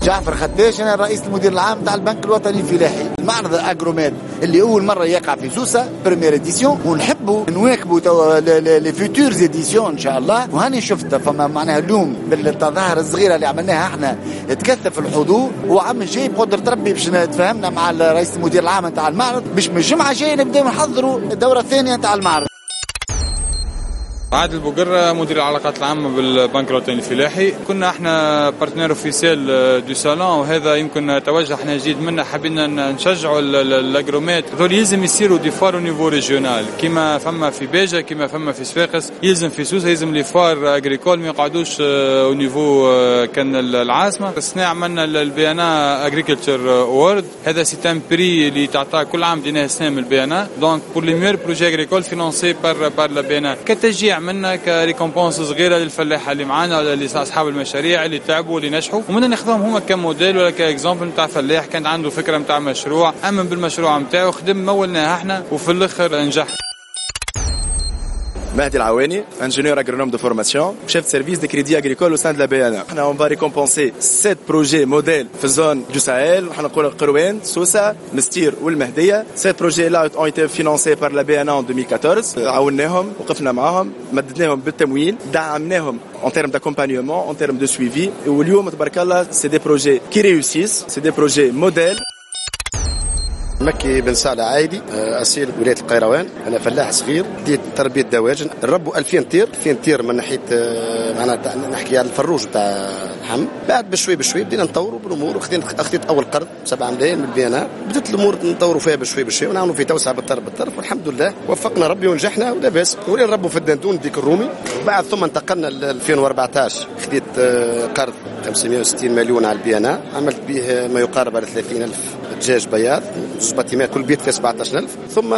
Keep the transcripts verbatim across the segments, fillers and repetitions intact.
جعفر خداش، انا رئيس المدير العام تاع البنك الوطني الفلاحي. المعرض Agromed اللي اول مرة يقع في سوسه، première édition، ونحبوا نواكبوا توا les futures éditions ان شاء الله. وهاني شفت فما معناها اليوم بالتظاهر الصغيرة اللي عملناها احنا تكثف الحضور، وعام الجاي بقدرة ربي باش نتفاهمنا مع رئيس المدير العام نتاع المعرض باش من الجمعة الجاية نبداو نحضروا الدورة الثانية نتاع المعرض. عادل بوقرة، مدير العلاقات العامة بالبنك الوطني الفلاحي. كنا احنا partenaire officiel du salon، وهذا يمكن توجه احنا جديد منا، حبينا نشجعوا l'Agromed. ذول يلزم يصيروا des foires au niveau régional، كيما فما في باجة، كيما فما في صفاقس، يلزم في سوسة، يلزم les foires agricoles ما يقعدوش au niveau كان العاصمة. السنة عملنا ال BNA Agriculture Award، هذا c'est un prix اللي تعطى كل عام، ديناه السنة من ال BNA، donc pour les meilleurs projets agricoles financés par par la BNA، كتشجيع منا، ك récompense صغيرة للفلاحه اللي معانا ولا اللي اصحاب المشاريع اللي تعبوا واللي نجحوا، ومنا ناخذهم هما كموديل ولا ك exemple نتاع فلاح كان عنده فكرة نتاع مشروع، امن بالمشروع نتاعو، خدم، مولناه احنا، وفي الاخر نجح. Mahdi Alaouani, ingénieur agronome de formation, chef de service des crédits agricoles au sein de la B N A. On va récompenser sept projets modèles في zone du Sahel، احنا نقول القروان، سوسة، المنستير والمهدية. Ces projets-là ont été financés par la B N A en deux mille quatorze. عاوناهم، وقفنا معاهم، مددناهم بالتمويل، دعمناهم en termes d'accompagnement, en termes de suivi. واليوم تبارك الله c'est des projets qui réussissent, c'est des projets modèles. مكي بن صالح عايدي، اصيل ولاية القيروان. انا فلاح صغير، بديت تربيه دواجن، نربوا ألفين طير، ألفين طير من ناحية معناها نحكي على الفروج تاع اللحم. بعد بشوي بشوي بدينا نطوروا بالامور، وخذينا اخذت اول قرض سبعة ملايين من ال B N A. بدات الامور نطوروا فيها بشوي بشوي ونعملوا في توسعه بالطرف بالطرف، والحمد لله وفقنا ربي ونجحنا ولاباس، ولينا نربوا في الدندون، ديك الرومي. بعد ثم انتقلنا ل ألفين وأربعطاش، خذيت قرض خمسمية وستين مليون على ال B N A، عملت به ما يقارب على ثلاثين ألف دجاج بياض، زوج bâtiments، كل بيت فيه سبعطاش ألف. ثم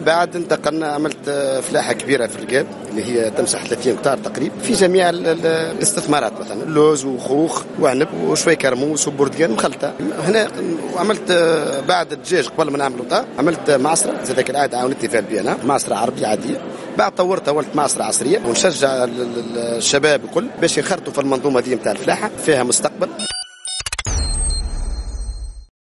بعد انتقلنا، عملت فلاحة كبيرة في القاب اللي هي تمسح ثلاثين هكتار تقريبا، في جميع الاستثمارات، مثلا اللوز وخوخ وعنب وشوي كرموس وبرتقال مخلطه هنا. وعملت بعد الدجاج، قبل ما نعمل عملت معصره زاد العادة عاونتني فيها ال B N A، معصره عربية عاديه. بعد طورتها ولت معصره عصريه. ونشجع الشباب الكل باش ينخرطوا في المنظومة دي نتاع الفلاحه، فيها مستقبل.